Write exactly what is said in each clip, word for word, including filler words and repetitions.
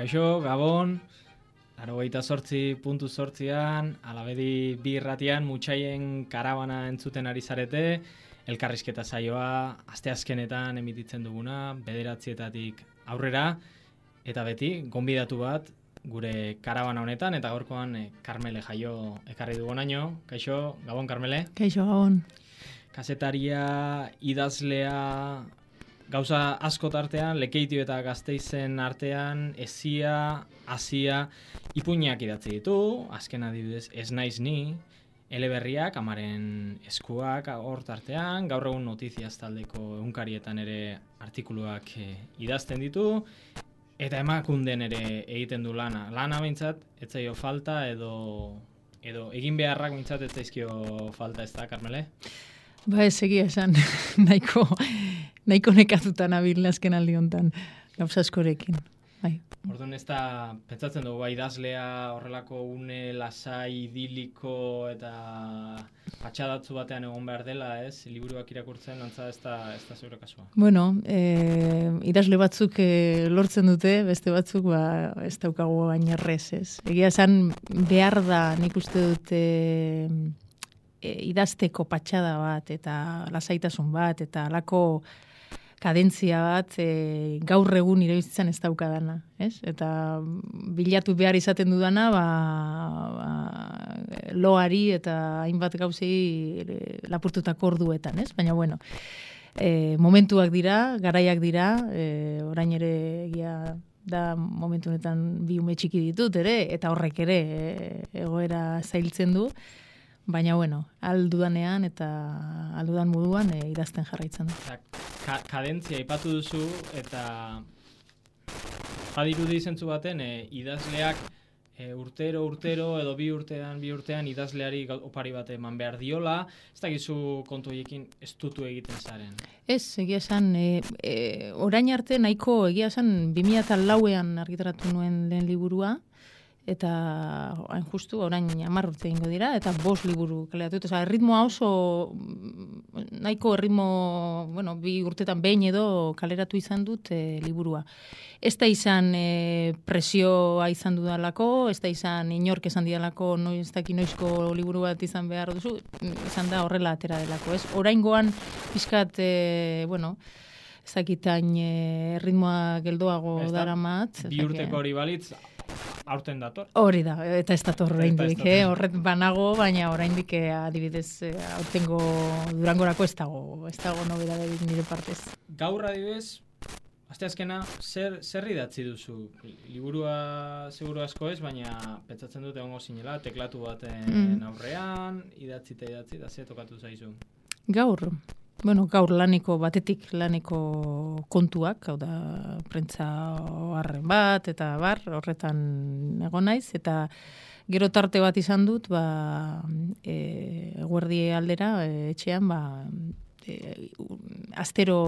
Kaixo, Gabon, laurogeita zortzi puntu zortzian, alabedi bi irratian mutxaien karabana entzuten ari zarete, elkarrizketa saioa, asteazkenetan emititzen duguna, bederatzietatik aurrera, eta beti, gonbidatu bat, gure karabana honetan, eta gaurkoan eh, Karmele Jaio ekarri dugunaino. Kaixo, Gabon, Karmele. Kaixo, Gabon. Kazetaria, idazlea, gauza asko tartean, Lekeitio eta Gasteizen artean, ezia, azia, ipuinak idatzi ditu, azken adibidez, ez naiz ni, eleberriak, amaren eskuak hor tartean, gaur egun notiziaz taldeko egunkarietan ere artikuluak eh, idazten ditu, eta emakunden ere egiten du lana. Lana behintzat, ez zaio falta edo, edo egin beharrak behintzat ez zaizkio falta, ez da, Karmele? Ba, ez egia esan, nahiko, nahiko nekatutan abil azken aldi honetan, gauza askorekin. Bai. Orduan ez da, pentsatzen dugu, bai, idazlea horrelako une lasai, idiliko eta patxadatzu batean egon behar dela, ez? Liburuak irakurtzen, antza ez da, ez da zeure kasua. Bueno, e, idazle batzuk e, lortzen dute, beste batzuk ba, ez daukagu baina errez, ez? Egia esan behar da, nik uste dute e, idazteko patxada bat, eta lasaitasun bat, eta alako kadentzia bat e, gaur egun irabizitzen ez daukadana, ez? Eta bilatu behar izaten dudana, ba, ba, loari eta hainbat gauzei e, lapurtutako orduetan, ez? Baina, bueno, e, momentuak dira, garaiak dira, e, orain ere egia da momentu honetan bi ume txiki ditut ere, eta horrek ere e, egoera zailtzen du. Baina, bueno, aldudanean eta aldudan moduan e, idazten jarraitzen du. Ka kadentzia ipatu duzu, eta badirudi zentzu baten, e, idazleak e, urtero, urtero, edo bi urtean, bi urtean idazleari opari bat eman behar diola, ez dakizu kontu horiekin ez dutu egiten zaren. Ez, egia esan, e, e, orain arte nahiko egia esan bi mila lauean argitaratu nuen lehen liburua, eta hain justu, orain hamar urte egingo dira, eta bost liburu kaleratu. Osa, erritmoa oso, nahiko erritmo, bueno, bi urtetan behin edo kaleratu izan dut e, liburua. Ez da izan e, presioa izan dudalako, ez da izan inork esan didalako, no, ez daki noizko liburu bat izan behar duzu, izan da horrela atera delako, ez? Oraingoan pizkat, e, bueno, ez dakitain e, erritmoa geldoago daramat. Bi urteko hori balitz, aurten dator. Hori da, eta ez dator oraindik, eh? Horret banago, baina oraindik eh, adibidez eh, aurtengo Durangorako ez dago, ez dago nobedaderik nire partez. Gaur adibidez, asteazkena, zer, zer idatzi duzu? Liburua seguru asko ez, baina pentsatzen dut egongo zinela, teklatu baten mm. aurrean, idatzi eta idatzi, da ze tokatu zaizu? Gaur, bueno, gaur laneko batetik laneko kontuak, hau da, prentza harren bat, eta bar, horretan egon naiz, eta gero tarte bat izan dut, ba, e, eguerdi aldera, e, etxean, ba, e, astero,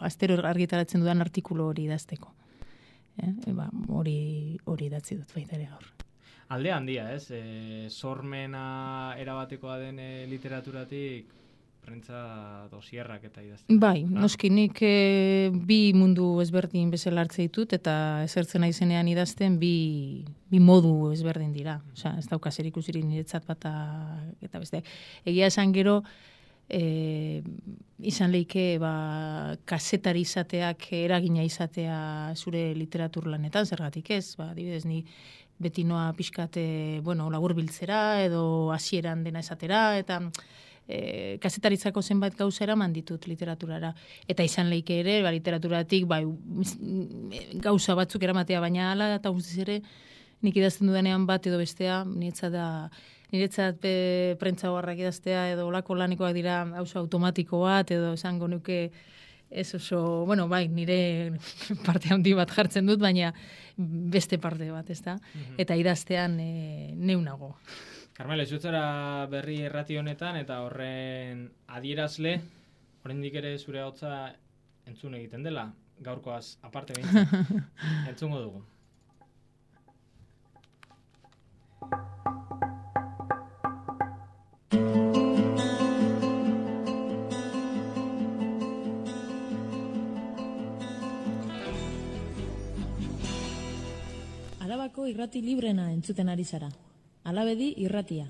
astero argitaratzen dudan artikulu hori idazteko. E, e, ba, hori, hori idatzi dut baita ere gaur. Alde handia, ez? E, sormena erabatekoa den e, literaturatik, prentza dosierrak eta idazten. Bai, noski nik e, bi mundu ezberdin bezala hartze ditut, eta ezertzen naizenean idazten bi, bi modu ezberdin dira. Osea, ez dauka zer ikusirik niretzat bata eta beste. Egia esan gero, e, izan leike ba, kazetari izateak eragina izatea zure literatur lanetan, zergatik ez, ba, adibidez ni beti noa pixkat, bueno, laburbiltzera edo hasieran dena esatera, eta E, kazetaritzako zenbait gauza eraman ditut literaturara. Eta izan leike ere, ba, literaturatik bai, gauza batzuk eramatea, baina hala eta guztiz ere nik idazten dudanean bat edo bestea, niretzat da, niretzat be, prentza horrak idaztea edo olako lanikoak dira gauza automatiko bat edo esango nuke ez oso, bueno, bai, nire parte handi bat jartzen dut, baina beste parte bat, ez da? Mm-hmm. Eta idaztean e, neunago. Karmele, zuetzara berri errati honetan eta horren adierazle, oraindik ere zure hotza entzun egiten dela, gaurkoaz aparte behintzen, entzungo dugu. Arabako irrati librena entzuten ari zara. Alabedi irratia.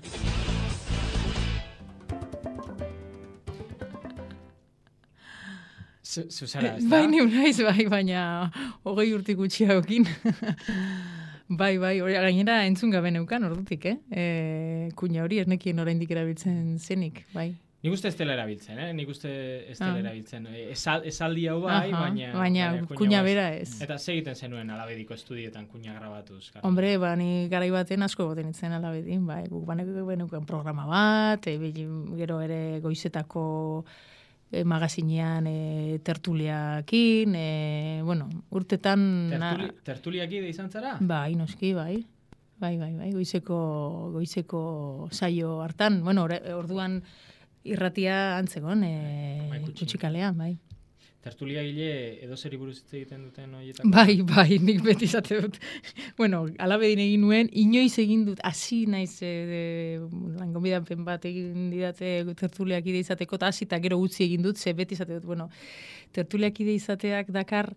Zuzara, ez da? Bai, ni naiz, bai, baina hogei urtik gutxiagokin. Bai, bai, hori gainera entzun gabe neukan ordutik, eh? E, kuña hori ernekien oraindik erabiltzen zenik, bai. Nik uste ez dela erabiltzen, eh? Nik uste ez dela erabiltzen. Esal, esaldi hau bai, Aha, baina... baina kuña bera ez. Eta segiten zenuen Alabediko estudietan kuña grabatuz. Gara. Hombre, ba, ni garai baten asko goten itzen Alabedin, bai, guk baneko benuken programa bat, e, gero ere goizetako e, magazinean e, tertuliakin, e, bueno, urtetan... Tertuli, tertuliaki da izan zara? Bai, noski, bai. Bai, bai, bai, goizeko, goizeko saio hartan, bueno, orduan... Irratia antzegon, e, bai, kutxikalean, bai. Tertulia gile edo zeri buruz hitz egiten duten horietako? Bai, bai, nik beti izate dut. Bueno, Alabedin egin nuen, inoiz egin dut, hasi naiz e, langonbidapen bat egin didate tertuliak ide izateko, eta hasi eta gero utzi egin dut, ze beti izate dut, bueno, tertuliak ide izateak dakar,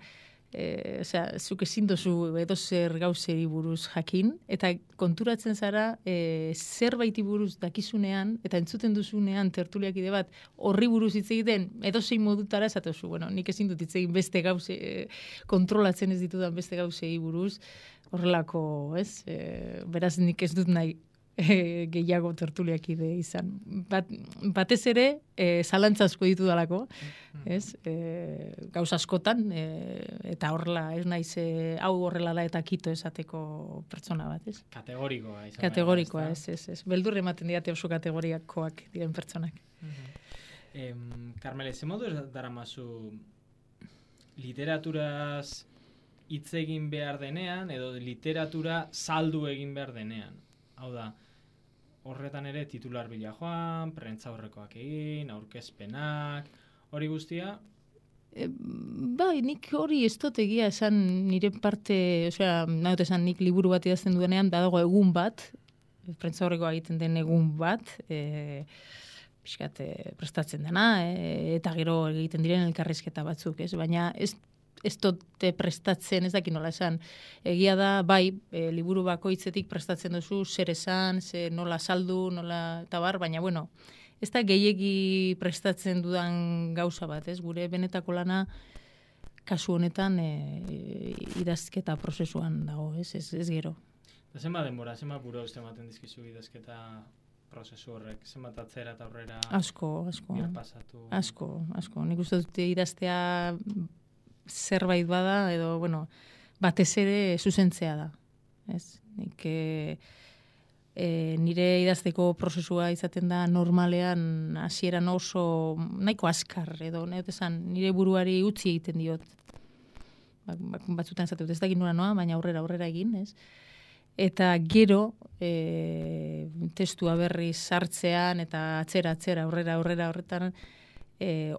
E, osea, zuk ezin dozu edo zer gauzeri buruz jakin, eta konturatzen zara e, zerbaiti buruz dakizunean, eta entzuten duzunean tertuliakide bat horri buruz hitz egiten, edo zein modutara esatuzu, bueno, nik ezin dut hitz egin beste gauze, e, kontrolatzen ez ditudan beste gauzei buruz, horrelako, ez? E, beraz nik ez dut nahi e, gehiago tertuliakide izan. Bat, batez ere, e, zalantza asko ditu dalako, ez? E, gauz askotan, e, eta horrela, ez naiz, e, hau horrela da eta kito esateko pertsona bat, ez? Kategorikoa. Izan Kategorikoa, ez, ez, ez. Beldur ematen diate oso kategoriakoak diren pertsonak. Em, Carmele, ze modu dara mazu literaturaz hitz egin behar denean, edo literatura saldu egin behar denean? Hau da, horretan ere titular bila joan, prentza horrekoak egin, aurkezpenak, hori guztia? E, bai, nik hori ez dut egia esan nire parte, osea, nahi dut esan nik liburu bat idazten duenean, badago egun bat, prentza horrekoa egiten den egun bat, e, pixkat e, prestatzen dena, e, eta gero egiten diren elkarrizketa batzuk, ez? Baina ez ez dute prestatzen, ez dakit nola esan. Egia da, bai, e, liburu bakoitzetik prestatzen duzu, zer esan, zer nola saldu, nola eta bar, baina, bueno, ez da gehiegi prestatzen dudan gauza bat, ez? Gure benetako lana kasu honetan e, idazketa prozesuan dago, ez? Ez, ez gero. Da zenba denbora, zenba buru uste ematen dizkizu idazketa prozesu horrek, zenbat atzera eta aurrera asko, asko, pasatu. Asko, asko. Nik uste dut idaztea zerbait bada, edo, bueno, batez ere zuzentzea da. Ez? Nik e, e, nire idazteko prozesua izaten da normalean hasieran oso nahiko askar, edo nahi esan, nire buruari utzi egiten diot. Ba, batzutan esate dut, ez dakit nora noa, baina aurrera aurrera egin, ez? Eta gero e, testua berriz sartzean eta atzera atzera aurrera aurrera horretan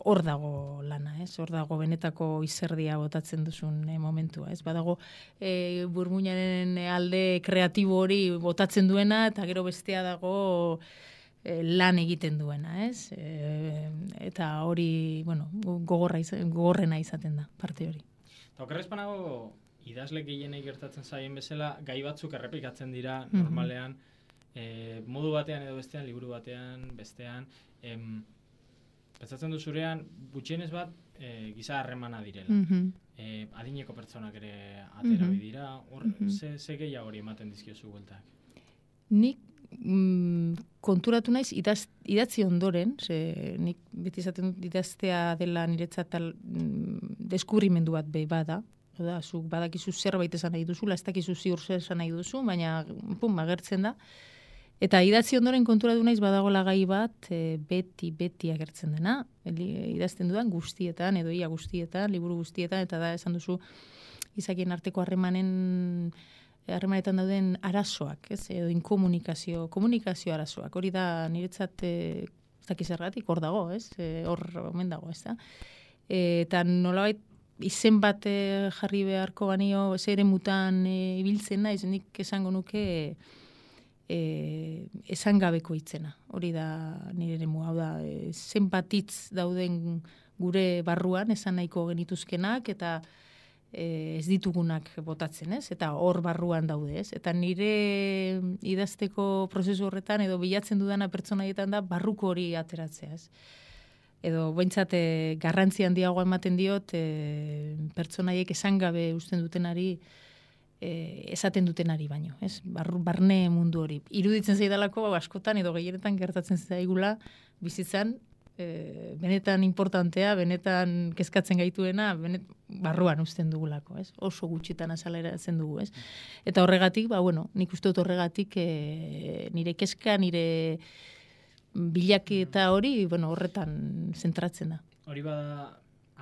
hor e, dago lana, ez? Hor dago benetako izerdia botatzen duzun e, momentua, ez? Badago e, burmuinaren alde kreatibo hori botatzen duena eta gero bestea dago e, lan egiten duena, ez? E, eta hori, bueno, gogorra izan, gogorrena izaten da parte hori. Eta okerrezpanago idazle gehienei gertatzen zaien bezala, gai batzuk errepikatzen dira normalean, mm-hmm. e, modu batean edo bestean, liburu batean, bestean, em, pentsatzen du zurean, gutxienez bat, e, giza harremana direla. Mm-hmm. E, adineko pertsonak ere atera mm-hmm. dira, hor, mm-hmm. ze, ze gehiago hori ematen dizkiozu bueltak? Nik mm, konturatu naiz idaz, idatzi ondoren, ze, nik beti izaten dut idaztea dela niretzat tal, mm, deskubrimendu bat be bada, oda, zuk badakizu zerbait esan nahi duzu, ez dakizu ziur zer esan nahi duzu, baina pum, agertzen da. Eta idatzi ondoren konturatu naiz badagoela gai bat, e, beti, beti agertzen dena, idazten dudan guztietan, edo ia guztietan, liburu guztietan, eta da esan duzu izakien arteko harremanen harremanetan dauden arazoak, ez? Edo inkomunikazio, komunikazio arazoak. Hori da niretzat e, ez dakiz erratik, hor dago, ez? E, hor omen dago, ez da? E, eta nolabait izen bat e, jarri beharko banio, zere mutan e, ibiltzen naiz, nik esango nuke e, esan gabeko hitzena. Hori da nire eremu, hau da, e, zenbat hitz dauden gure barruan, esan nahiko genituzkenak, eta e, ez ditugunak botatzen, ez? Eta hor barruan daude, ez? Eta nire idazteko prozesu horretan edo bilatzen dudana pertsonaietan da barruko hori ateratzea, ez? Edo behintzat e, garrantzi handiagoa ematen diot e, pertsonaiek esan gabe usten dutenari e, esaten dutenari baino, ez? Bar, barne mundu hori. Iruditzen zaidalako askotan edo gehienetan gertatzen zaigula bizitzan e, benetan importantea, benetan kezkatzen gaituena, benet, barruan usten dugulako, ez? Oso gutxitan azaleratzen dugu, ez? Eta horregatik, ba bueno, nik uste dut horregatik e, nire kezka, nire bilaketa hori, bueno, horretan zentratzen da. Hori bada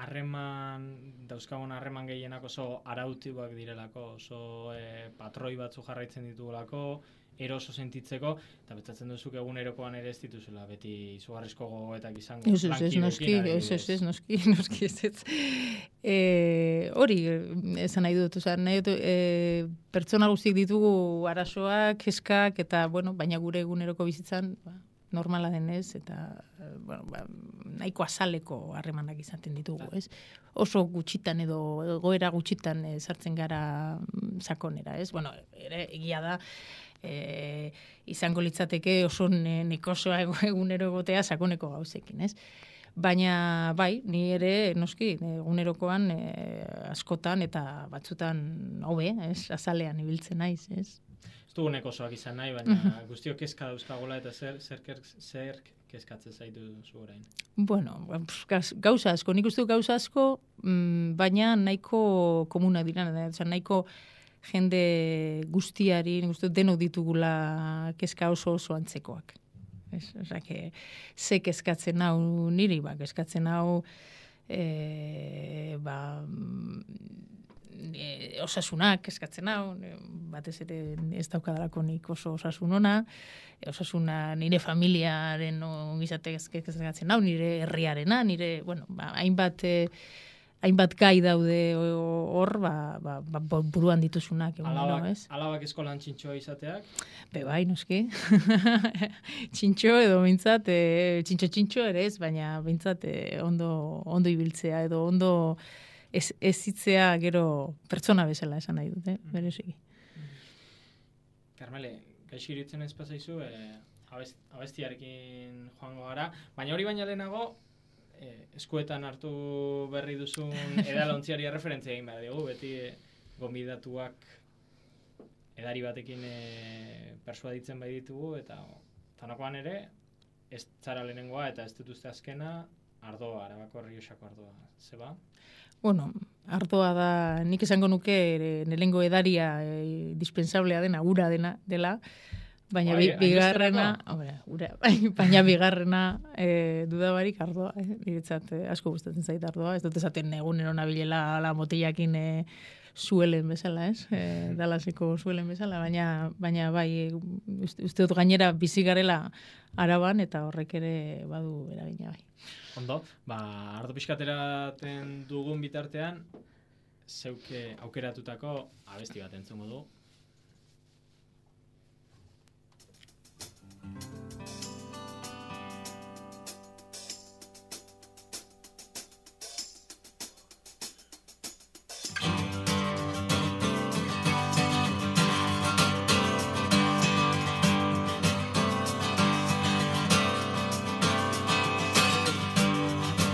harreman, dauzkagun harreman gehienak oso arautibak direlako, oso e, patroi batzu jarraitzen ditugulako, eroso sentitzeko, eta betzatzen duzuk egunerokoan ere ez dituzula, beti izugarrizko gogoetak izango. Ez, ez, ez, noski, ez, ez, ez, noski, noski, ez, ez. E, hori, esan nahi dut, oza, nahi dut, e, pertsona guztiek ditugu arazoak, kezkak, eta, bueno, baina gure eguneroko bizitzan, ba, normala denez, eta, bueno, ba, nahiko azaleko harremanak izaten ditugu, ez? Oso gutxitan edo egoera gutxitan e, sartzen gara sakonera, ez? Bueno, ere, egia da, E, izango litzateke oso nekosoa egunero egotea sakoneko gauzekin, ez? Baina, bai, ni ere, noski, egunerokoan e, askotan eta batzutan hobe, ez? Azalean ibiltzen naiz, ez? Ez dugu nekosoak izan nahi, baina guztiok kezka dauzkagula eta zer, zer, zer kezkatzen zaitu zu orain? Bueno, gauza asko, nik uste gauza asko, baina nahiko komuna dira, nahiko jende guztiari, nik denok ditugula kezka oso oso antzekoak. Osa, ze kezkatzen hau niri, ba, kezkatzen hau e, ba, e, osasunak kezkatzen hau, batez ere ez daukadalako nik oso osasun ona, osasuna nire familiaren ongizate kezkatzen hau, nire herriarena, nire, bueno, ba, hainbat e, hainbat gai daude hor, ba, ba, ba, buruan dituzunak. Egun, alabak, no, ez? Alabak eskolan txintxoa izateak? Be bai, noski. Txintxo edo bintzat, e, txintxo-txintxo ere ez, baina bintzat e, ondo, ondo ibiltzea edo ondo ez, ez hitzea gero pertsona bezala esan nahi dute, mm. bereziki. Karmele, gaixi iritzen ez pasaizu, e, abest, abestiarekin joango gara, baina hori baina lehenago, eskuetan hartu berri duzun edalontziari referentzia egin behar dugu, beti e, gonbidatuak edari batekin e, persuaditzen bai ditugu, eta tanakoan ere, ez zara lehenengoa eta ez dituzte azkena, Ardoa, Arabako Errioxako Ardoa, zeba? Bueno, Ardoa da, nik esango nuke nelengo edaria e, dispensablea dena, ura dena, dela, baina bi, bigarrena, hombre, ura, baina bigarrena e, dudabarik Ardoa, eh? Niretzat eh, asko gustatzen zait Ardoa, ez dut esaten egunero nabilela la motillakin e, zuelen bezala, ez? E, Dalaseko zuelen bezala, baina baina bai uste, uste dut gainera bizi garela Araban eta horrek ere badu eragina bai. Ondo, ba ardo pixkateraten dugun bitartean zeuke aukeratutako abesti bat entzungo du.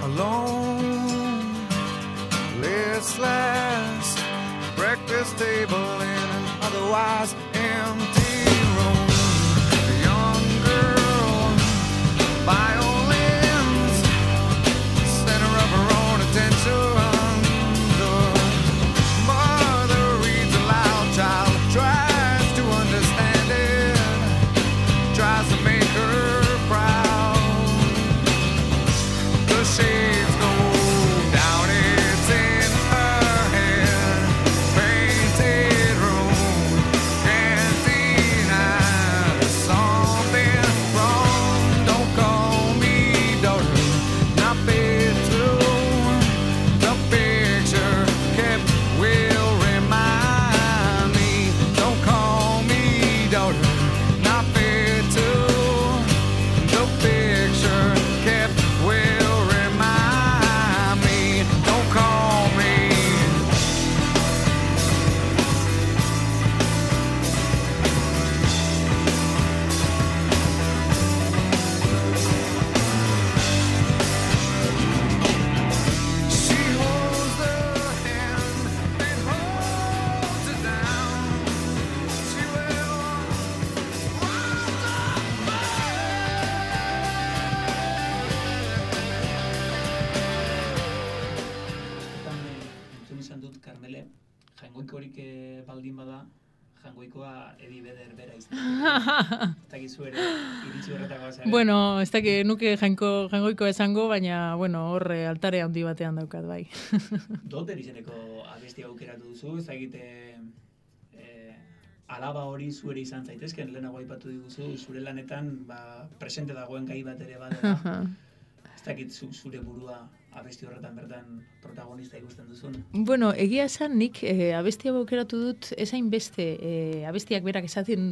Alone, listless, breakfast table in an otherwise empty room. A young girl, violins, center of her own attention. The mother reads aloud, child tries to understand it, tries to make her proud. The shades go down, it's in her head, painted room. jainkoik eh, baldin bada, jangoikoa Edi Beder bera izan. Ez dakizu ere, iritsi horretako zaren. Bueno, ez dakit nuke jainko, jangoiko esango, baina, bueno, horre altare handi batean daukat, bai. Doter izeneko abestia aukeratu duzu, ez dakite eh, alaba hori zuere izan zaitezken, lehenago aipatu diguzu, zure lanetan ba, presente dagoen gai bat ere badela. Ez dakit zu, zure burua abesti horretan bertan protagonista ikusten duzun. Bueno, egia esan nik e, abestia aukeratu dut ezain beste e, abestiak berak esaten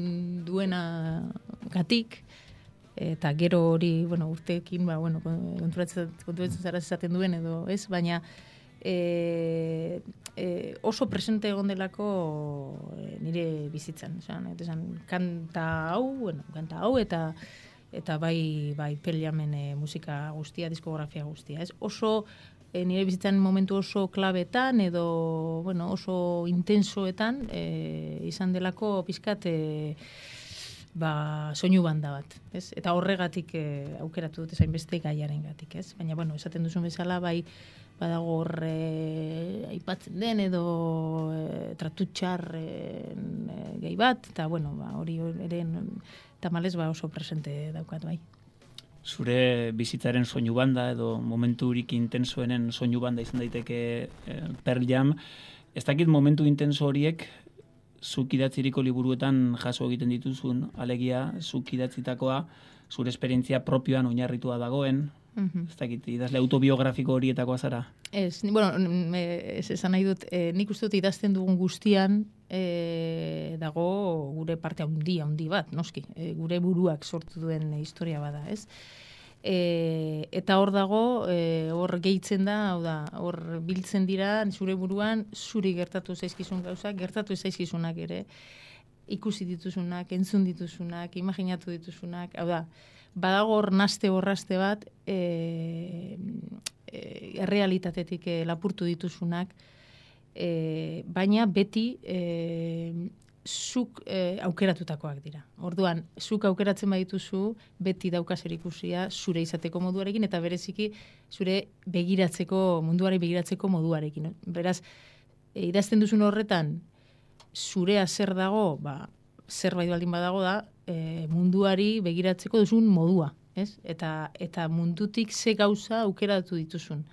duena gatik, eta gero hori, bueno, urteekin, ba, bueno, konturatzen, konturatzen zara esaten duen edo, ez? Baina e, e, oso presente egon delako e, nire bizitzan, esan, esan, kanta hau, bueno, kanta hau, eta eta bai bai Pearl musika guztia, diskografia guztia, ez? Oso e, nire bizitzan momentu oso klabetan edo bueno, oso intensoetan e, izan delako pizkat e, ba soinu banda bat, ez? Eta horregatik e, aukeratu dut ezain beste gaiarengatik, ez? Baina bueno, esaten duzun bezala bai badago hor e, aipatzen den edo e, tratutxarren e, gai bat, eta bueno, ba hori ere tamalez ba oso presente daukat bai. Zure bizitzaren soinu banda edo momenturik intensoenen soinu banda izan daiteke eh, Pearl Jam. Ez dakit momentu intenso horiek zuk idatziriko liburuetan jaso egiten dituzun, alegia zuk idatzitakoa zure esperientzia propioan oinarritua dagoen. Ez dakit, idazle autobiografiko horietakoa zara? Ez, bueno, ez esan nahi dut, e, nik uste dut idazten dugun guztian e, dago gure parte handi, handi bat, noski, e, gure buruak sortu duen historia bada, ez? E, eta hor dago, e, hor gehitzen da, hau da, hor biltzen dira, zure buruan, zuri gertatu zaizkizun gauzak, gertatu zaizkizunak ere, ikusi dituzunak, entzun dituzunak, imaginatu dituzunak, hau da, badago hor naste borraste bat e, e, errealitatetik e, lapurtu dituzunak, e, baina beti e, zuk e, aukeratutakoak dira. Orduan, zuk aukeratzen badituzu, beti daukazer ikusia zure izateko moduarekin, eta bereziki zure begiratzeko, munduari begiratzeko moduarekin. Beraz, e, idazten duzun horretan, zurea zer dago, ba, zerbait baldin badago da, e, munduari begiratzeko duzun modua, ez? Eta, eta mundutik ze gauza aukeratu dituzun.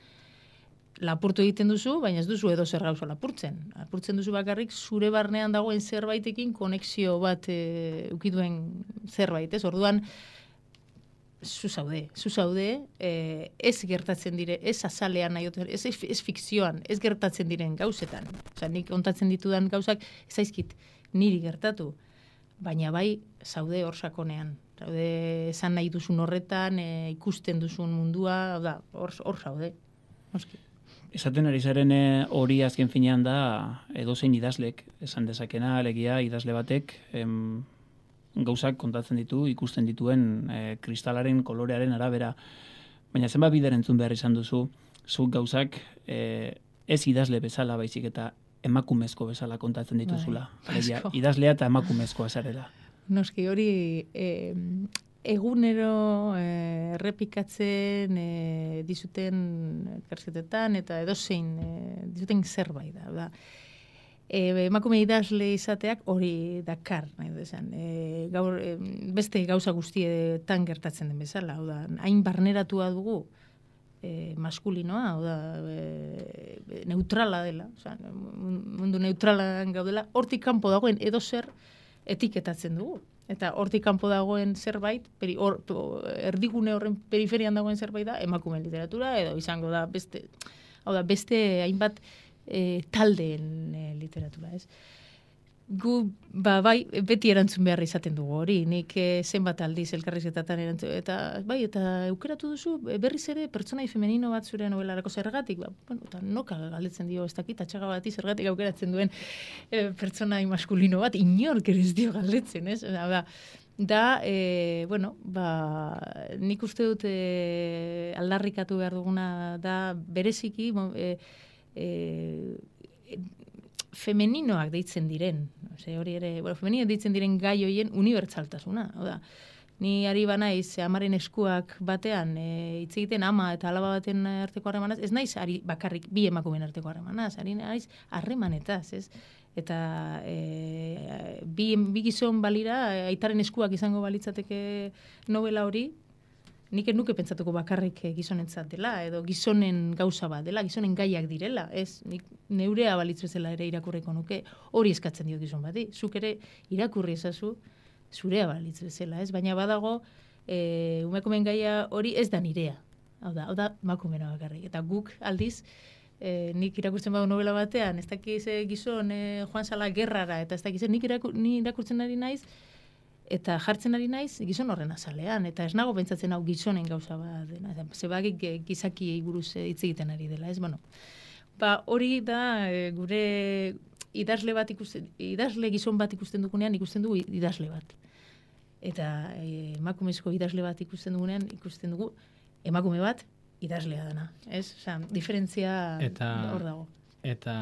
Lapurtu egiten duzu, baina ez duzu edo zer gauza lapurtzen. Lapurtzen duzu bakarrik zure barnean dagoen zerbaitekin konexio bat e, ukiduen zerbait, ez? Orduan, zu zaude, zu zaude, e, ez gertatzen dire, ez azalean nahi, ez, ez fikzioan, ez gertatzen diren gauzetan. Osa, nik ontatzen ditudan gauzak, ez zaizkit niri gertatu, baina bai zaude hor sakonean. Zaude esan nahi duzun horretan, e, ikusten duzun mundua, da, hor, hor zaude. Oski. Esaten ari zaren hori azken finean da edozein idazlek esan dezakena, alegia idazle batek em, gauzak kontatzen ditu, ikusten dituen e, kristalaren kolorearen arabera. Baina zenbat bider entzun behar izan duzu, zuk gauzak e, ez idazle bezala baizik eta emakumezko bezala kontatzen dituzula. Bai, alegia, idazlea eta emakumezkoa zarela. Noski hori eh, egunero eh, errepikatzen eh, dizuten elkarrizketetan eta edozein eh, dizuten zerbait da. da. E, emakume idazle izateak hori dakar, nahi du esan. E, gaur, e, beste gauza guztietan gertatzen den bezala. Hau da, hain barneratua dugu e, maskulinoa, hau da, e, neutrala dela, oza, mundu neutralan gaudela, hortik kanpo dagoen edozer etiketatzen dugu. Eta hortik kanpo dagoen zerbait, peri, or, erdigune horren periferian dagoen zerbait da, emakume literatura, edo izango da beste, hau da, beste hainbat e, taldeen e, literatura, ez? Gu, ba, bai, beti erantzun behar izaten dugu hori, nik e, zenbat aldiz elkarrizketatan erantzun, eta bai, eta aukeratu duzu berriz ere pertsonai femenino bat zure novelarako zergatik, ba, bueno, eta noka galdetzen dio, ez dakit, atxaga bati zergatik aukeratzen duen e, pertsonai maskulino bat, inork ere ez dio galdetzen, ez? Da, da e, bueno, ba, nik uste dut e, aldarrikatu behar duguna da bereziki, e, e, femeninoak deitzen diren, ose, hori ere, bueno, femeninoak deitzen diren gai hoien unibertsaltasuna, oda. Ni ari banaiz amaren eskuak batean e, hitz egiten ama eta alaba baten arteko harremanaz, ez naiz ari bakarrik bi emakumeen arteko harremanaz, ari naiz harremanetaz, ez? eta e, bi, bi gizon balira, aitaren eskuak izango balitzateke novela hori, nik ez nuke pentsatuko bakarrik gizonentzat dela, edo gizonen gauza bat dela, gizonen gaiak direla, ez, nik neurea balitz bezala ere irakurriko nuke, hori eskatzen diot gizon bati, zuk ere irakurri ezazu, zurea balitz bezala, ez, baina badago, e, umekomen gaia hori ez da nirea, hau da, hau da makumena bakarrik, eta guk aldiz, E, nik irakurtzen badu novela batean, ez dakiz gizon e, joan zala gerrara, eta ez dakiz nik irakur, ni irakurtzen ari naiz, eta jartzen ari naiz gizon horren azalean, eta ez nago pentsatzen hau gizonen gauza bat dena, zebagik gizaki buruz hitz egiten ari dela, ez, bueno. Ba, hori da e, gure idazle bat ikusten, idazle gizon bat ikusten dugunean ikusten dugu idazle bat. Eta e, emakumezko idazle bat ikusten dugunean ikusten dugu emakume bat idazlea dana, ez? Osa, diferentzia hor dago. Eta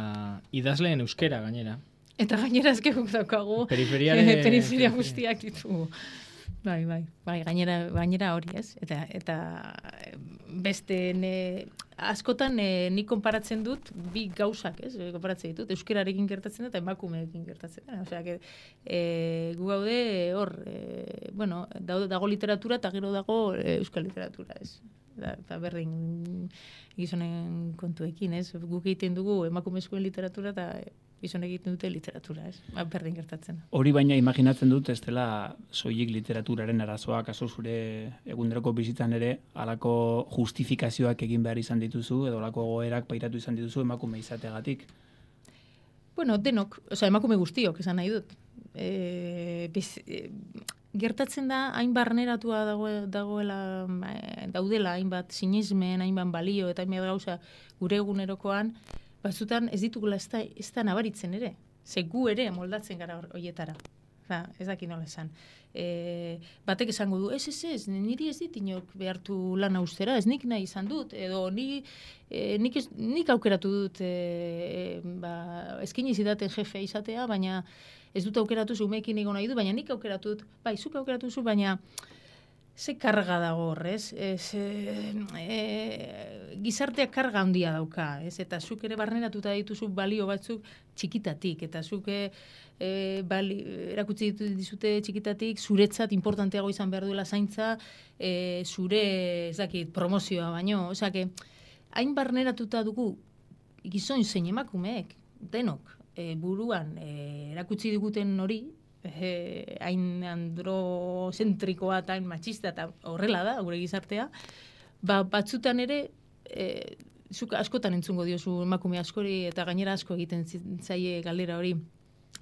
idazleen euskera gainera. Eta gainera ezkeguk daukagu Periferiare... periferia guztiak ditugu. Bai, bai, bai, gainera, gainera hori, ez? Eta, eta beste ne, askotan ne, nik konparatzen dut bi gauzak, ez? Konparatzen ditut, euskerarekin gertatzen da eta emakumeekin gertatzen da. Osea, que, e, gu gaude hor, e, bueno, dago, dago literatura eta gero dago e, euskal literatura, ez? Eta berdin gizonen kontuekin, ez? Guk egiten dugu emakumezkoen literatura eta gizon egiten dute literatura, ez? Berdin gertatzen. Hori baina imaginatzen dut, ez dela soilik literaturaren arazoa, kaso zure eguneroko bizitzan ere, halako justifikazioak egin behar izan dituzu, edo halako goerak pairatu izan dituzu emakume izateagatik. Bueno, denok, osea, emakume guztiok esan nahi dut. E, biz, e, gertatzen da, hain barneratua dago, dagoela, daudela, hainbat sinesmen, hainbat balio, eta hainbat gauza gure egunerokoan, batzutan ez ditugula ez da, ez da nabaritzen ere. Ze gu ere moldatzen gara horietara. Ba, ez daki nola esan. E, batek esango du, ez, ez, ez, niri ez dit inok behartu lan austera, ez nik nahi izan dut, edo ni, e, nik, ez, nik aukeratu dut, e, ba, eskini zidaten jefe izatea, baina ez dut aukeratu zu, umeekin egon nahi du, baina nik aukeratu dut, bai, zuk aukeratu zu, baina ze karga dago horrez, ez, e, e, gizarteak karga handia dauka, ez, eta zuk ere barneratuta dituzu balio batzuk txikitatik, eta zuk e, bali, erakutsi dizute txikitatik, zuretzat importanteago izan behar duela zaintza, e, zure, ez dakit, promozioa baino, osea, hain barneratuta dugu gizon zein emakumeek, denok, e, buruan e, erakutsi diguten hori, Eh, hain androzentrikoa eta hain machista eta horrela da, gure gizartea, ba, batzutan ere eh, zuk askotan entzungo diozu emakume askori eta gainera asko egiten zaie galdera hori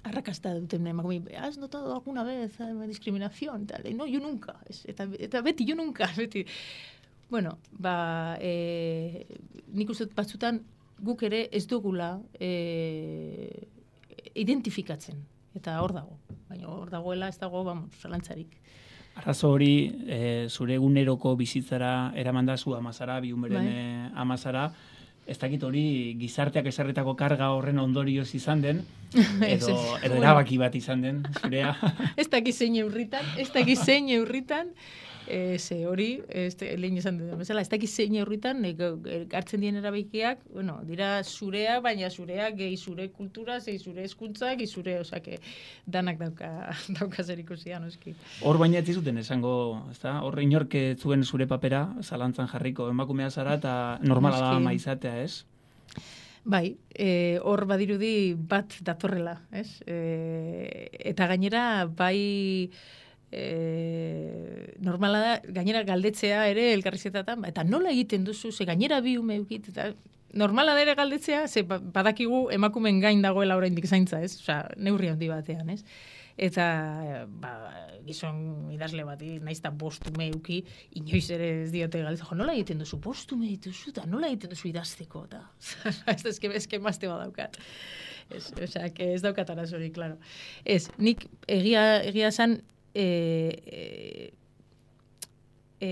arrakasta duten emakume, has notado alguna vez discriminación? Tal, no, yo nunca, es, eta, eta beti, yo nunca, beti. Bueno, ba, eh, nik uste batzutan guk ere ez dugula eh, identifikatzen. Eta hor dago, baina hor dagoela ez dago, vamos, zalantzarik. Arazo hori, e, zure eguneroko bizitzara eramanda zu amazara, bi umeren bai. amazara, ez dakit hori gizarteak esarretako karga horren ondorioz izan den, edo, edo erabaki bat izan den, zurea. Ez dakit zein eurritan, ez dakit zein eurritan, ze hori, lehen izan dut bezala, ez dakit zein eurritan, hartzen dien erabakiak, bueno, dira zurea, baina zurea gehi zure kultura, zei zure eskuntzak, zure, osake, danak dauka, dauka zer ikusia, noski. Hor baina ez zuten esango, ezta? Hor inork zuen zure papera, zalantzan jarriko, emakumea zara, eta normala da ama izatea, ez? Bai, e, hor badirudi bat datorrela, ez? E, eta gainera, bai... E, normala da, gainera galdetzea ere elkarrizketatan, eta nola egiten duzu, ze gainera bi ume eukit, eta normala da ere galdetzea, ze badakigu emakumen gain dagoela oraindik zaintza, ez? Osea, neurri handi batean, ez? Eta, ba, gizon idazle bati, naizta bostume euki, inoiz ere ez diote galdetzen, jo, nola egiten duzu, bostume dituzu, eta nola egiten duzu idazteko, eta, ez da, eske mazte badaukat. Ez, osea, ez daukat arazorik, klaro. Ez, nik egia, egia zan, E, e, e,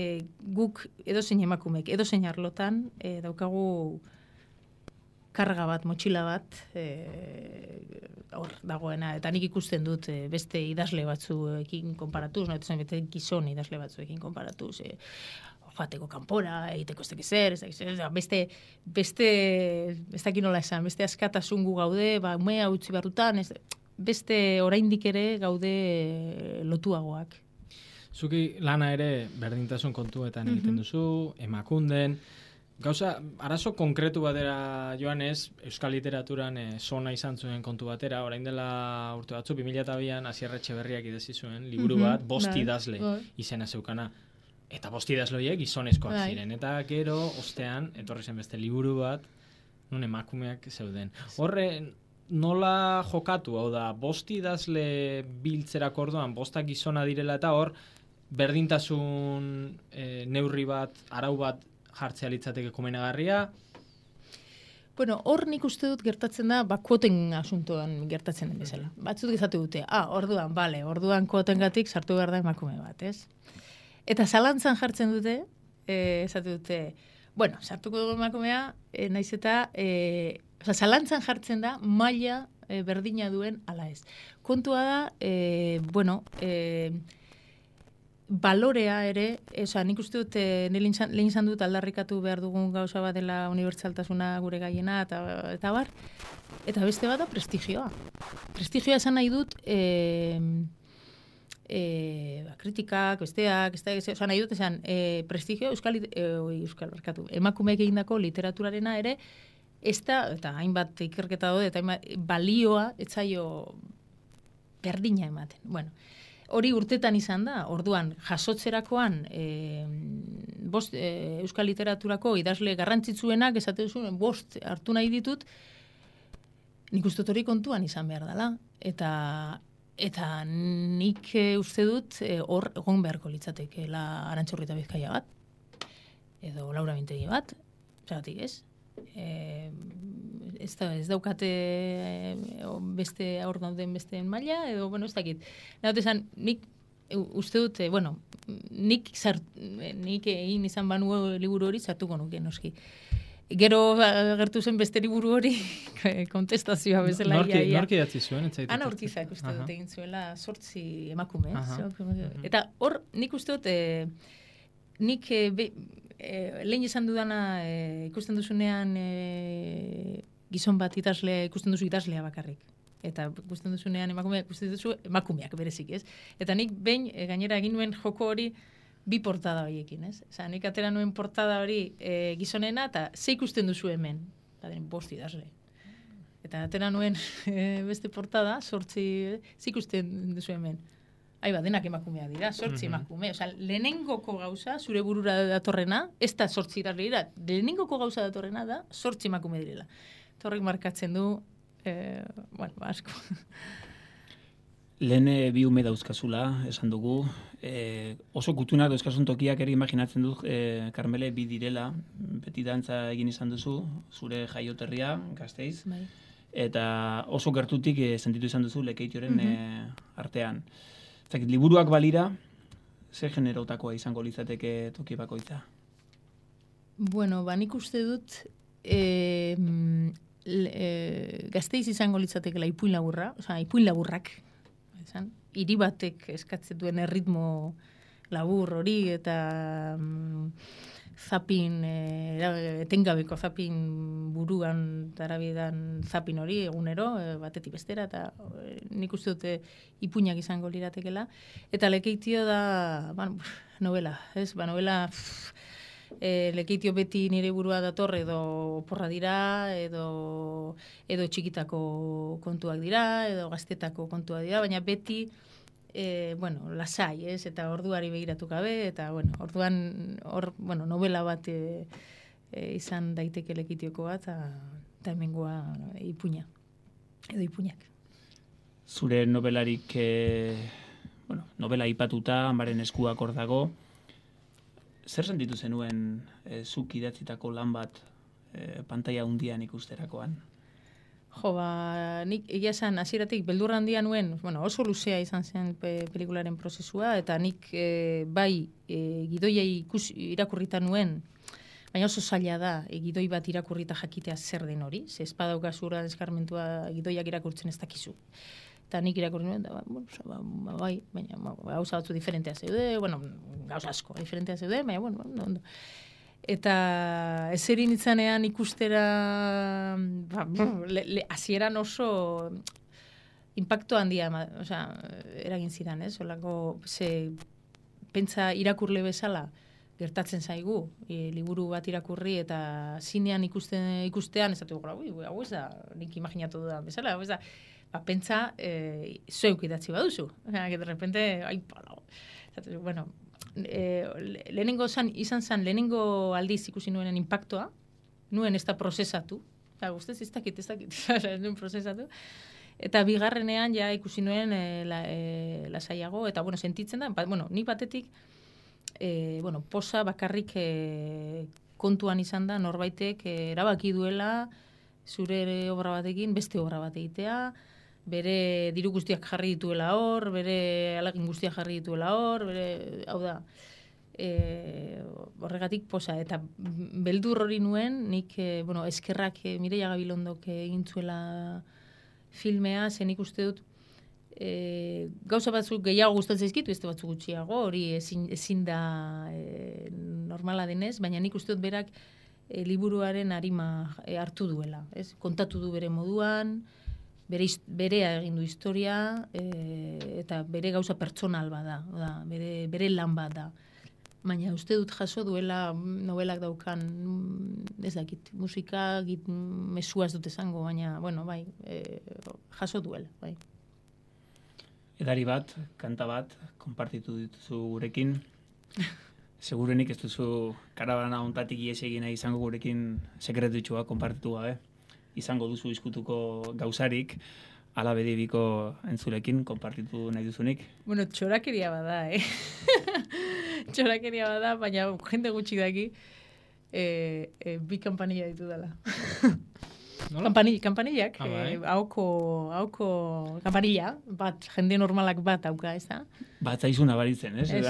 guk edozein emakumek, edozein arlotan e, daukagu karga bat, motxila bat e, hor dagoena, eta nik ikusten dut e, beste idazle batzuekin konparatuz, no, eta beste gizon idazle batzuekin konparatuz, e, joateko kanpora, egiteko ez dakiz zer, ez dakiz zer, beste, beste, ez dakit nola esan, beste askatasun gu gaude, ba, umea utzi barrutan, ez, beste oraindik ere gaude lotuagoak. Zuki lana ere berdintasun kontuetan egiten duzu, emakunden, gauza, arazo konkretu batera joanez, euskal literaturan e, zona izan zuen kontu batera, orain dela urte batzu, bi mila bian Asier Etxeberriak idazti zuen, liburu bat, bost idazle izena zeukana. Eta bost idazloiek gizonezkoak Bai. ziren. Eta gero, ostean, etorri zen beste liburu bat, nun emakumeak zeuden. Horre, nola jokatu, hau da, bost idazle biltzerak orduan, bostak gizona direla eta hor, berdintasun e, neurri bat, arau bat jartzea litzateke komenagarria. Bueno, hor nik uste dut gertatzen da, ba, kuoten asuntoan gertatzen den bezala. Batzut gizatu dute, ah, orduan, bale, orduan kuotengatik sartu behar da emakume bat, ez? Eta zalantzan jartzen dute, eh, esatu dute, bueno, sartuko dugu emakumea, eh, naiz eta, eh, oza, zalantzan jartzen da, maila eh, berdina duen ala ez. Kontua da, eh, bueno, eh, balorea ere, oza, nik uste dut, eh, lehen izan dut aldarrikatu behar dugun gauza bat dela unibertsaltasuna gure gaiena, eta, eta bar, eta beste bat da prestigioa. Prestigioa esan nahi dut, eh, E, ba, kritikak, besteak, ez da, oza, nahi dut esan, e, prestigio euskal, e, oi, euskal barkatu, emakumeek egindako literaturarena ere, ez da, eta hainbat ikerketa daude, eta hainbat balioa, etzaio berdina ematen. Bueno, hori urtetan izan da, orduan, jasotzerakoan, e, bost, e, euskal literaturako idazle garrantzitsuenak, esate duzuen, bost hartu nahi ditut, nik uste hori kontuan izan behar dela, eta Eta nik e, uste dut hor e, egon beharko litzatekeela Arantxa Urrieta Bizkaia bat, edo Laura Mintegi bat, zeratik ez? E, ez, da, ez daukate e, beste aur dauden besteen maila, edo, bueno, ez dakit. Nahote esan, nik e, uste dut, e, bueno, nik, zart, nik egin izan banu liburu hori zartuko nuke, noski. Gero agertu zen beste liburu hori kontestazioa bezala. Norki, norki datzi zuen, entzaitu. Ana Urkizak uste dut egin zuela sortzi emakume. Eta hor nik uste dut, e, nik e, be, e, lehen esan dudana e, ikusten duzunean e, gizon bat idazle, ikusten duzu idazlea bakarrik. Eta ikusten duzunean emakumeak, ikusten duzu emakumeak berezik, ez? Eta nik behin e, gainera egin nuen joko hori bi portada horiekin, ez? Osa, nik atera nuen portada hori e, gizonena, eta ze ikusten duzu hemen, eta den bost idazle. Eta atera nuen e, beste portada, sortzi, ze ikusten duzu hemen. Aiba, denak emakumea dira, sortzi mm-hmm. emakume. Osa, lehenengoko gauza, zure burura datorrena, ez da sortzi idazle dira, lehenengoko gauza datorrena da, sortzi emakume direla. Torrek markatzen du, e, bueno, asko. Lehen bi ume dauzkazula, esan dugu. E, oso kutunak dauzkazun tokiak ere imaginatzen dut, e, Karmele, bi direla, beti dantza egin izan duzu, zure jaioterria, Gasteiz. Bai. Eta oso gertutik e, sentitu izan duzu Lekeitioren Mm-hmm. e, artean. Zakit, liburuak balira, ze generotakoa izango litzateke toki bakoitza? Bueno, ba, nik uste dut, e, e, Gasteiz izango litzatekela ipuin laburra, oza, ipuin laburrak, esan, hiri batek eskatzen duen erritmo labur hori eta mm, zapin, e, etengabeko zapin buruan tarabidan zapin hori egunero, e, batetik bestera, eta e, nik uste dute ipuinak izango liratekela. Eta Lekeitio da, bueno, novela, ez? Ba, novela, pff, e, Lekeitio beti nire burua dator edo porra dira, edo, edo txikitako kontuak dira, edo gaztetako kontuak dira, baina beti E, bueno, lasai, ez, eta orduari begiratu gabe, eta, bueno, orduan, or, bueno, novela bat e, e, izan daiteke Lekitioko bat, eta hemengoa ipuina, edo ipuinak. Zure novelarik, e, bueno, novela ipatuta, amaren eskuak hor dago, zer sentitu zenuen e, zuk idatzitako lan bat e, pantaila hundian ikusterakoan? Jo, ba, nik egia esan hasieratik beldurra handia nuen, bueno, oso luzea izan zen pe, pelikularen prozesua, eta nik e, bai e, gidoia ikus, irakurrita nuen, baina oso zaila da e, gidoi bat irakurrita jakitea zer den hori, ze espadaukazu ura deskarmentua gidoiak irakurtzen ez dakizu. Eta nik irakurri nuen, da, ba, bueno, ba, ba, bai, baina ba, gauza batzu diferentea zeude, bueno, gauza asko diferentea zeude, baina, bueno, ondo, ondo. Eta ezerin itzanean ikustera, ba, le, le, hasieran oso impacto handia, o sea, eragin zidan, ez? Olako, ze, pentsa irakurle bezala, gertatzen zaigu, e, liburu bat irakurri eta zinean ikusten, ikustean, ez dut, ui, hau ez da, nik imaginatu dudan bezala, hau ez da, ba, pentsa, e, zeuk idatzi baduzu. Que de repente, ai, palo. Bueno, e, lehenengo zan, izan zan, lehenengo aldiz ikusi nuenen impactoa, nuen ez da prozesatu, eta guztez ez dakit, ez dakit, ez nuen prozesatu, eta bigarrenean ja ikusi nuen e, la, e, lasaiago, eta bueno, sentitzen da, ba, bueno, nik batetik, e, bueno, posa bakarrik e, kontuan izan da, norbaitek e, erabaki duela, zure obra batekin, beste obra bat egitea, bere diru guztiak jarri dituela hor, bere alagin guztiak jarri dituela hor, bere, hau da, e, horregatik posa. Eta beldur hori nuen, nik, e, bueno, eskerrak e, Mireia Gabilondok egin zuela filmea, zen ikuste dut, e, gauza batzuk gehiago gustatzen zaizkitu, ez batzuk gutxiago, hori ezin, ezin da e, normala denez, baina nik uste dut berak e, liburuaren arima e, hartu duela, ez? Kontatu du bere moduan, bere, berea egin du historia, e, eta bere gauza pertsonal bada, da, bere, bere lan bat da. Baina uste dut jaso duela novelak daukan, ez dakit, musika, git, mesua ez dut esango, baina, bueno, bai, e, jaso duela, bai. Edari bat, kanta bat, konpartitu dituzu gurekin. Segurenik ez duzu karabana ontatik ies egin izango gurekin sekretutxua konpartitu gabe. Izango duzu izkutuko gauzarik, ala bedibiko entzulekin konpartitu nahi duzunik. Bueno, txorakeria bada, eh? Txorakeria bada, baina jende gutxi daki e, e, bi kampanilla ditu dela. Kampani, kampanillak, ah, bai. eh, hauko, hauko kampanilla, bat, jende normalak bat hauka, ez da? Bat zaizuna baritzen, ez? Ez,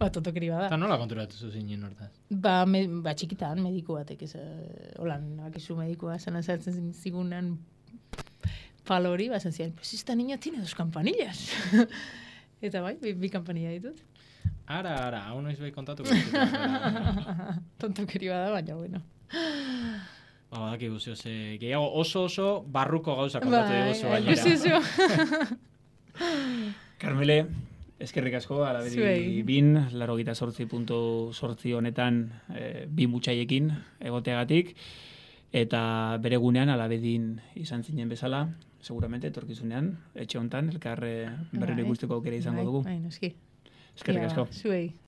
bat totokeri bada. Eta nola konturatu zuzinen hortaz? Ba, me, ba txikitan, mediku batek, ez, holan, bakizu medikua, zan azaltzen zigunan palo hori, bazan ziren, pues esta niña tiene dos campanillas. Eta bai, bi, bi kampanilla ditut. Ara, ara, hau noiz bai kontatu. Tontokeri bada, baina, bueno. Ba, daki guzio, ze gehiago oso oso barruko gauza kontatu bai, diguzu bai, gainera. Carmele, eskerrik asko, alabedi Zuei. bin, laro gita sortzi puntu sortzi honetan e, bi mutxaiekin egoteagatik, eta bere gunean alabedin izan zinen bezala, seguramente etorkizunean, etxe hontan, elkar berriro ikusteko aukera izango dugu. Bai, noski. Eskerrik asko. Zuei.